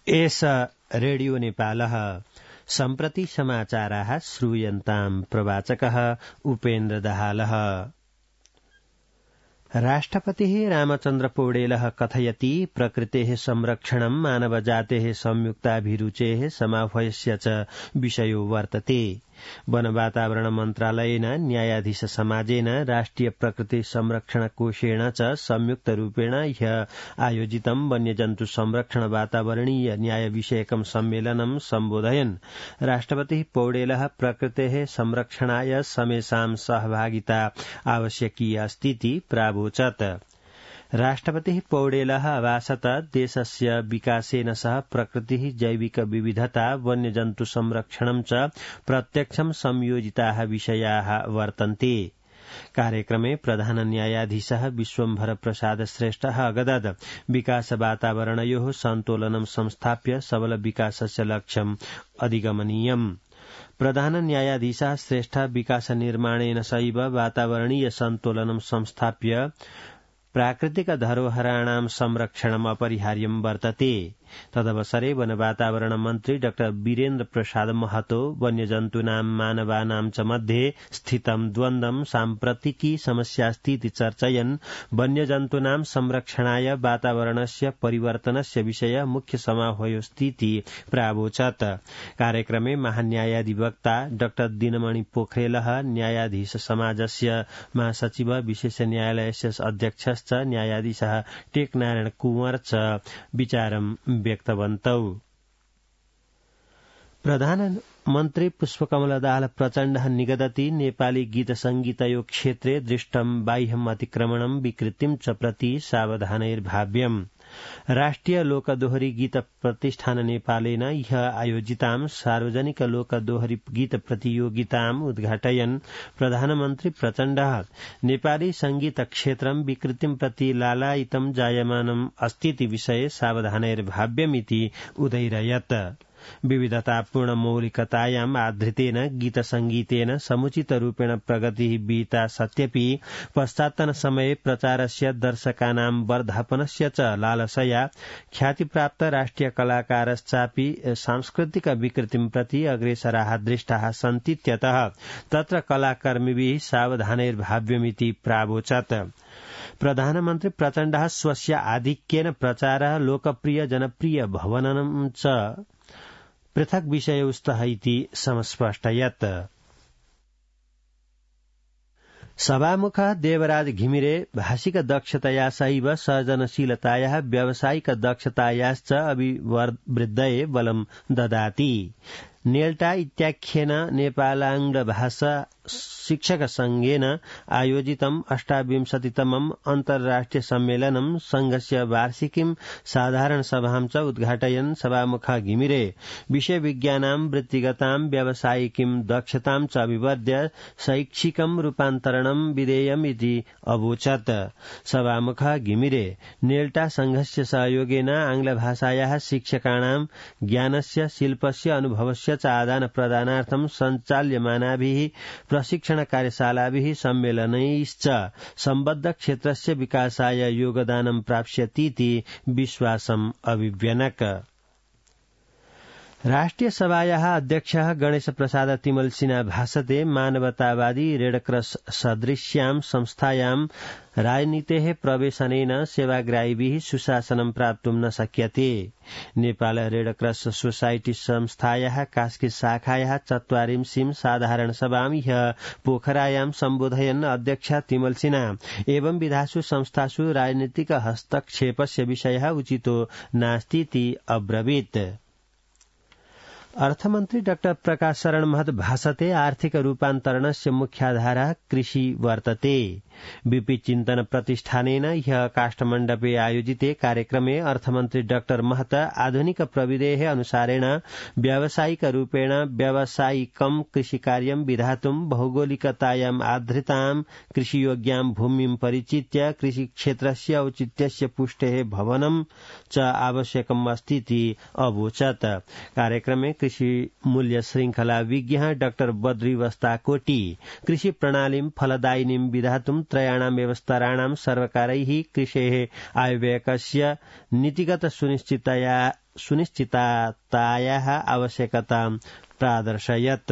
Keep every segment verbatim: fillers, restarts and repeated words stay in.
एष रेडियो नेपालः सम्प्रति समाचाराः श्रूयन्ताम् प्रवाचकः उपेन्द्र दाहालः। राष्ट्रपतिः रामचन्द्र पौडेलः कथयति प्रकृतेः संरक्षणं मानवजातेः संयुक्ताभिरुचेः समाह्वयस्य च विषयो वर्तते। वन वातावरण मन्त्रालयेन न्यायाधीश समाजेन राष्ट्रिय प्रकृति संरक्षण कोषेण च संयुक्त रूपेण ह्य आयोजितं वन्यजन्तु संरक्षण वातावरणीय न्याय विषयकं सम्मेलनं सम्बोधयन् राष्ट्रपतिः पौडेलः प्रकृतेः संरक्षणाय समेषां सहभागिता आवश्यकी अस्तीति प्रावोचत्। राष्ट्रपतिः पौडेलः अभाषत देशस्य विकासेन सह प्रकृतिः जैविक विविधता वन्यजन्तु संरक्षणं च प्रत्यक्षं संयोजिताः विषयाः वर्तन्ते। कार्यक्रमे प्रधान न्यायाधीशः विश्वम्भर प्रसाद श्रेष्ठः अगदद विकास वातावरणयोः सन्तुलनं संस्थाप्य सबल विकासस्य लक्ष्यम् अधिगमनीयम्। प्रधान न्यायाधीशः श्रेष्ठ विकास निर्माणेन सैव वातावरणीय सन्तुलनं संस्थाप्य प्राकृतिक धरोहराणां संरक्षणम् अपरिहार्यं वर्तते। तदवसरे वन वातावरण मन्त्री डाक्टर वीरेन्द्र प्रसाद महतो वन्यजन्तूनां मानवानां च मध्ये स्थितं द्वन्द्वं साम्प्रतिकी समस्यास्तीति चर्चयन् वन्यजन्तूनां संरक्षणाय वातावरणस्य परिवर्तनस्य विषय मुख्य समाह्वयोस्तीति प्रावोचत्। कार्यक्रमे महान्यायाधिवक्ता डाक्टर दिनमणि पोखरेलः न्यायाधीश समाजस्य महासचिव विशेष न्यायालयस्य अध्यक्षश्च न्यायाधीशः टेकनारायण कुंवर च विचारं व्यक्तवन्तौ। प्रधानमन्त्री पुष्पकमल दाहाल प्रचण्डः निगदति नेपाली गीत संगीतयो क्षेत्रे दृष्टं बाह्यम् अतिक्रमणं विकृतिं च प्रति सावधानैर्भाव्यम्। राष्ट्रिय लोकदोहरी गीत प्रतिष्ठान नेपालेन ह्य आयोजितां सार्वजनिक लोकदोहरी गीत प्रतियोगिताम् उद्घाटयन् प्रधानमन्त्री प्रचण्डः नेपाली संगीत क्षेत्रं विकृतिं प्रति लालायितं जायमानम् अस्तीति विषये सावधानैर्भाव्यमिति उदैरयत्। विविधतापूर्ण मौलिकतायाम् आधृतेन गीत संगीतेन समुचित रूपेण प्रगतिः विहिता सत्यपि पश्चात्तन समये प्रचारस्य दर्शकानां वर्धापनस्य च लालसया ख्यातिप्राप्त राष्ट्रिय कलाकारश्चापि सांस्कृतिक विकृतिं प्रति अग्रेसराः दृष्टाः सन्तीत्यतः तत्र कलाकर्मिभिः सावधानैर्भाव्यमिति प्रावोचत्। प्रधानमन्त्री प्रचण्डः स्वस्य आधिक्येन प्रचारः लोकप्रिय जनप्रिय भवनं च पृथक् विषयो स्तः इति समस्पष्टयत्। सभामुखः देवराज घिमिरे भाषिक दक्षतया सैव सर्जनशीलतायाः व्यावसायिक दक्षतायाश्च अभिवृद्धये बलं ददाति। नेल्टा इत्याख्येन नेपालांग्ल भाषा शिक्षक संघेन आयोजितम् अष्टाविंशतितमम् अन्तर्राष्ट्रिय सम्मेलनं संघस्य वार्षिकीं साधारण सभां च उद्घाटयन् सभामुखः घिमिरे विषय विज्ञानां वृत्तिगतां व्यावसायिकीं दक्षतां च अभिवर्ध्य शैक्षिकं रूपान्तरणं विधेयम् इति अवोचत्। सभामुखः घिमिरे नेल्टा संघस्य सहयोगेन आंग्लभाषायाः शिक्षकाणां ज्ञानस्य शिल्पस्य अनुभवस्य च आदान प्रदानार्थं सञ्चाल्यमानाभिः प्रशिक्षण कार्यशालाभिः सम्मेलनैश्च सम्बद्ध क्षेत्रस्य विकासाय योगदानं प्राप्स्यतीति विश्वासम् अभिव्यनक। राष्ट्रिय सभायाः अध्यक्षः गणेश प्रसाद तिमल सिन्हा भाषते मानवतावादी रेडक्रस सदृश्यां संस्थायां राजनीतेः प्रवेशनेन सेवाग्राहीभिः सुशासनं प्राप्तुं न शक्यते। नेपाल रेडक्रस सोसाइटी संस्थायाः कास्की शाखायाः चत्वारिंशीं साधारण सभां ह्यः पोखरायां सम्बोधयन् अध्यक्ष तिमल सिन्हा एवं विधासु संस्थासु राजनीतिक हस्तक्षेपस्य विषयः उचितो नास्तीति अब्रवीत्। अर्थमन्त्री डाक्टर प्रकाश शरण महत भाषते आर्थिक रूपान्तरणस्य मुख्याधारः कृषि वर्तते। बीपी चिन्तन प्रतिष्ठानेन ह्यः काष्ठमण्डपे आयोजिते कार्यक्रमे अर्थमन्त्री डाक्टर महत आधुनिक प्रविधेः अनुसारेण व्यावसायिक रूपेण व्यावसायिकं कृषिकार्यं विधातुं भौगोलिकतायाम् आधृतां कृषियोग्यां भूमिं परिचित्य कृषिक्षेत्रस्य औचित्यस्य पुष्टेः भवनं च आवश्यकम् अस्तीति अवोचत्। कार्यक्रमे कृषि मूल्य श्रृंखला विज्ञ डाक्टर बद्री वस्ताकोटी कृषि प्रणालीं फलदायिनीं विधातुं त्रयाणां व्यवस्ताराणां सर्वकारैः कृषेः आयव्ययकस्य नीतिगत सुनिश्चितया सुनिश्चिततायाः आवश्यकतां प्रादर्शयत्।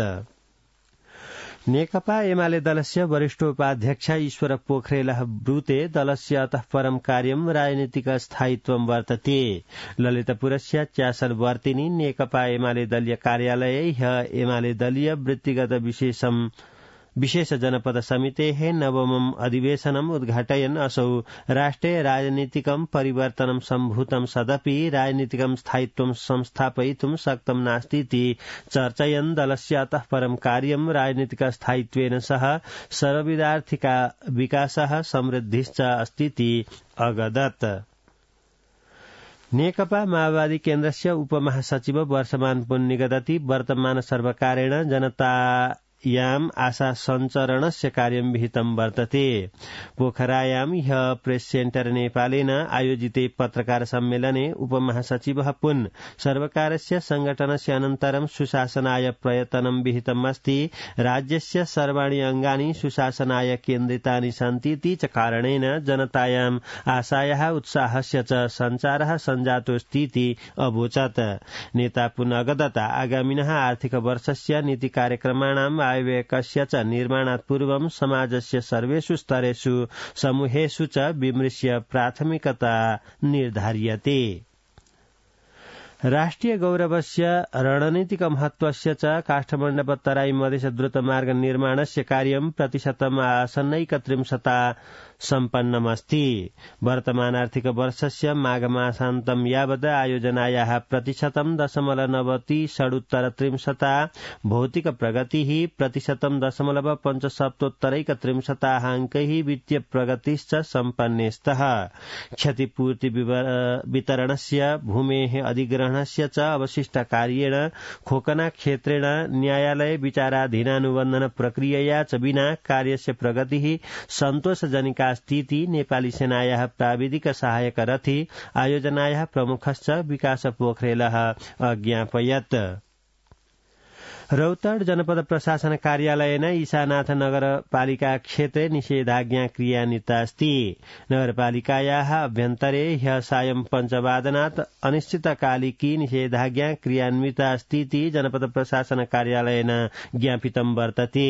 नेकपा एमाले दलस्य वरिष्ठोपाध्यक्ष ईश्वर पोखरेलः ब्रूते दलस्य अतः परं कार्यं राजनीतिक स्थायित्वं वर्तते। ललितपुरस्य च्यासलवर्तिनी नेकपा एमाले दलीय कार्यालये ह्यः एमाले दलीय वृत्तिगत विशेषम विशेष जनपद समितेः नवमम् अधिवेशनम् उद्घाटयन् असौ राष्ट्रे राजनीतिकं परिवर्तनं सम्भूतं सदपि राजनीतिकं स्थायित्वं संस्थापयितुं शक्तं नास्तीति चर्चयन् दलस्य अतः परं कार्यं राजनीतिक स्थायित्वेन सह सर्वविधार्थिक विकासः समृद्धिश्च अस्तीति अगदत्। नेकपा माओवादी केन्द्रस्य उपमहासचिव वर्षमान पुन निगदति वर्तमान सर्वकारेण जनता याम आशा सञ्चरणस्य कार्यं विहितं वर्तते। पोखरायां ह्यः प्रेस सेन्टर नेपालेन आयोजिते पत्रकार सम्मेलने उपमहासचिवः पुन सर्वकारस्य संगठनस्य अनन्तरं सुशासनाय प्रयत्नं विहितमस्ति। राज्यस्य सर्वाणि अङ्गानि सुशासनाय केन्द्रितानि सन्तीति च कारणेन जनतायाम् आशायाः उत्साहस्य च सञ्चारः सञ्जातोऽस्तीति अवोचत्। नेता पुन अगदत आगामिनः आर्थिक वर्षस्य नीति कार्यक्रमाणां आयव्ययकस्य च निर्माणात् पूर्वं समाजस्य सर्वेषु स्तरेषु समूहेषु च विमृश्य प्राथमिकता निर्धार्यते। राष्ट्रिय गौरवस्य रणनीतिक महत्वस्य च काष्ठमण्डप तराई मधेस द्रुतमार्ग निर्माणस्य कार्यं प्रतिशतम् आसन्नैकत्रिंशता सम्पन्नमस्ति। वर्तमान आर्थिक वर्षस्य माघमासान्तं यावत् आयोजनायाः प्रतिशतं दशमलव नवति षडुत्तर त्रिंशता भौतिक प्रगतिः प्रतिशतं दशमलव पञ्चसप्तोत्तरैकत्रिंशताः अङ्कैः वित्तीय प्रगतिश्च सम्पन्ने स्तः। क्षतिपूर्ति वितरणस्य भूमेः अधिग्रहणस्य च अवशिष्टकार्येण खोकना क्षेत्रेण न्यायालय विचाराधीनानुबन्धन प्रक्रियया च विना कार्यस्य प्रगतिः सन्तोषजनिका स्थिति नेपाली सेनायाः प्राविधिक सहायक रथी आयोजनायाः प्रमुखश्च विकास पोखरेलः अज्ञापयत्। रौतड जनपद प्रशासन कार्यालयेन ईशानाथ नगरपालिका क्षेत्रे निषेधाज्ञा क्रियान्विता अस्ति। नगरपालिकायाः अभ्यन्तरे ह्यः सायं पञ्चवादनात् अनिश्चितकालिकी निषेधाज्ञा क्रियान्विता अस्तीति जनपद प्रशासन कार्यालयेन ज्ञापितं वर्तते।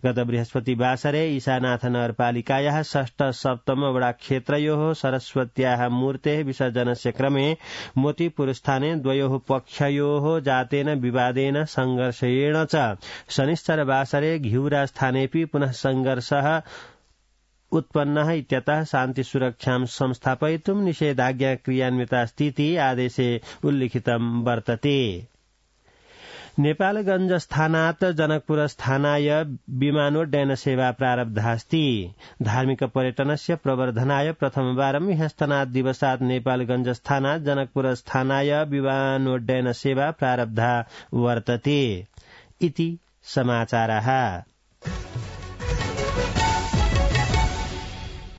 गत बृहस्पतिवासरे ईशानाथ नगरपालिकायाः षष्ठ सप्तम वडा क्षेत्रयोः सरस्वत्याः मूर्तेः विसर्जनस्य क्रमे मोतीपुरस्थाने द्वयोः पक्षयोः जातेन विवादेन संघर्ष च शनिश्चरवासरे घिउरा स्थानेपि पुनः संघर्षः उत्पन्नः इत्यतः शान्तिसुरक्षां संस्थापयितुं निषेधाज्ञा क्रियान्विता स्थिति आदेशे उल्लिखितं वर्तते। नेपालगञ्जस्थानात् जनकपुरस्थानाय विमानोड्डयन सेवा प्रारब्धास्ति। धार्मिक पर्यटनस्य प्रवर्धनाय प्रथमवारं ह्यस्तनात् दिवसात् नेपालगञ्जस्थानात् जनकपुरस्थानाय विमानोड्डयन सेवा प्रारब्धा वर्तते इति समाचारः।